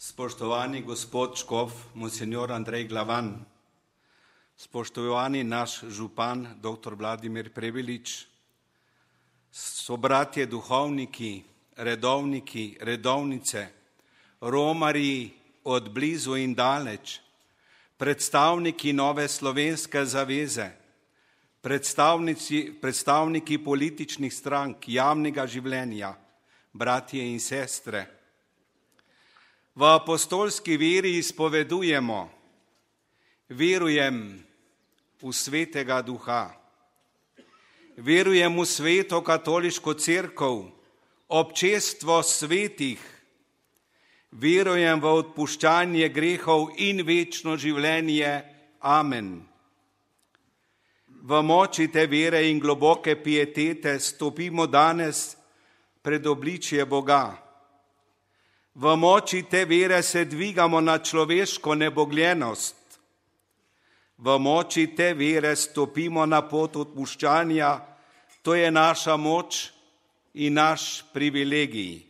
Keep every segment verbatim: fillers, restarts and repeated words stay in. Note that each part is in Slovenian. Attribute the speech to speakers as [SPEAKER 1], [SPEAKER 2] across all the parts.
[SPEAKER 1] Spoštovani gospod škof, monsinjor Andrej Glavan, spoštovani naš župan, doktor Vladimir Prebilič, sobratje duhovniki, redovniki, redovnice, romarji od blizu in daleč, predstavniki Nove slovenske zaveze, predstavniki, predstavniki političnih strank, javnega življenja, bratje in sestre. V apostolski veri izpovedujemo: verujem v Svetega Duha, verujem v Sveto katoliško cerkev, občestvo svetih, verujem v odpuščanje grehov in večno življenje. Amen. V moči te vere in globoke pietete stopimo danes pred obličje Boga. V moči te vere se dvigamo na človeško nebogljenost. V moči te vere stopimo na pot odpuščanja, to je naša moč in naš privilegij.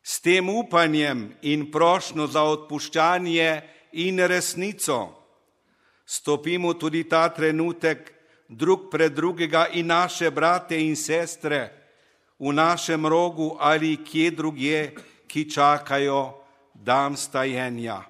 [SPEAKER 1] S tem upanjem in prošnjo za odpuščanje in resnico stopimo tudi ta trenutek drug pred drugega in naše brate in sestre v našem rogu ali kje drugje, ki čakajo dan stajenja.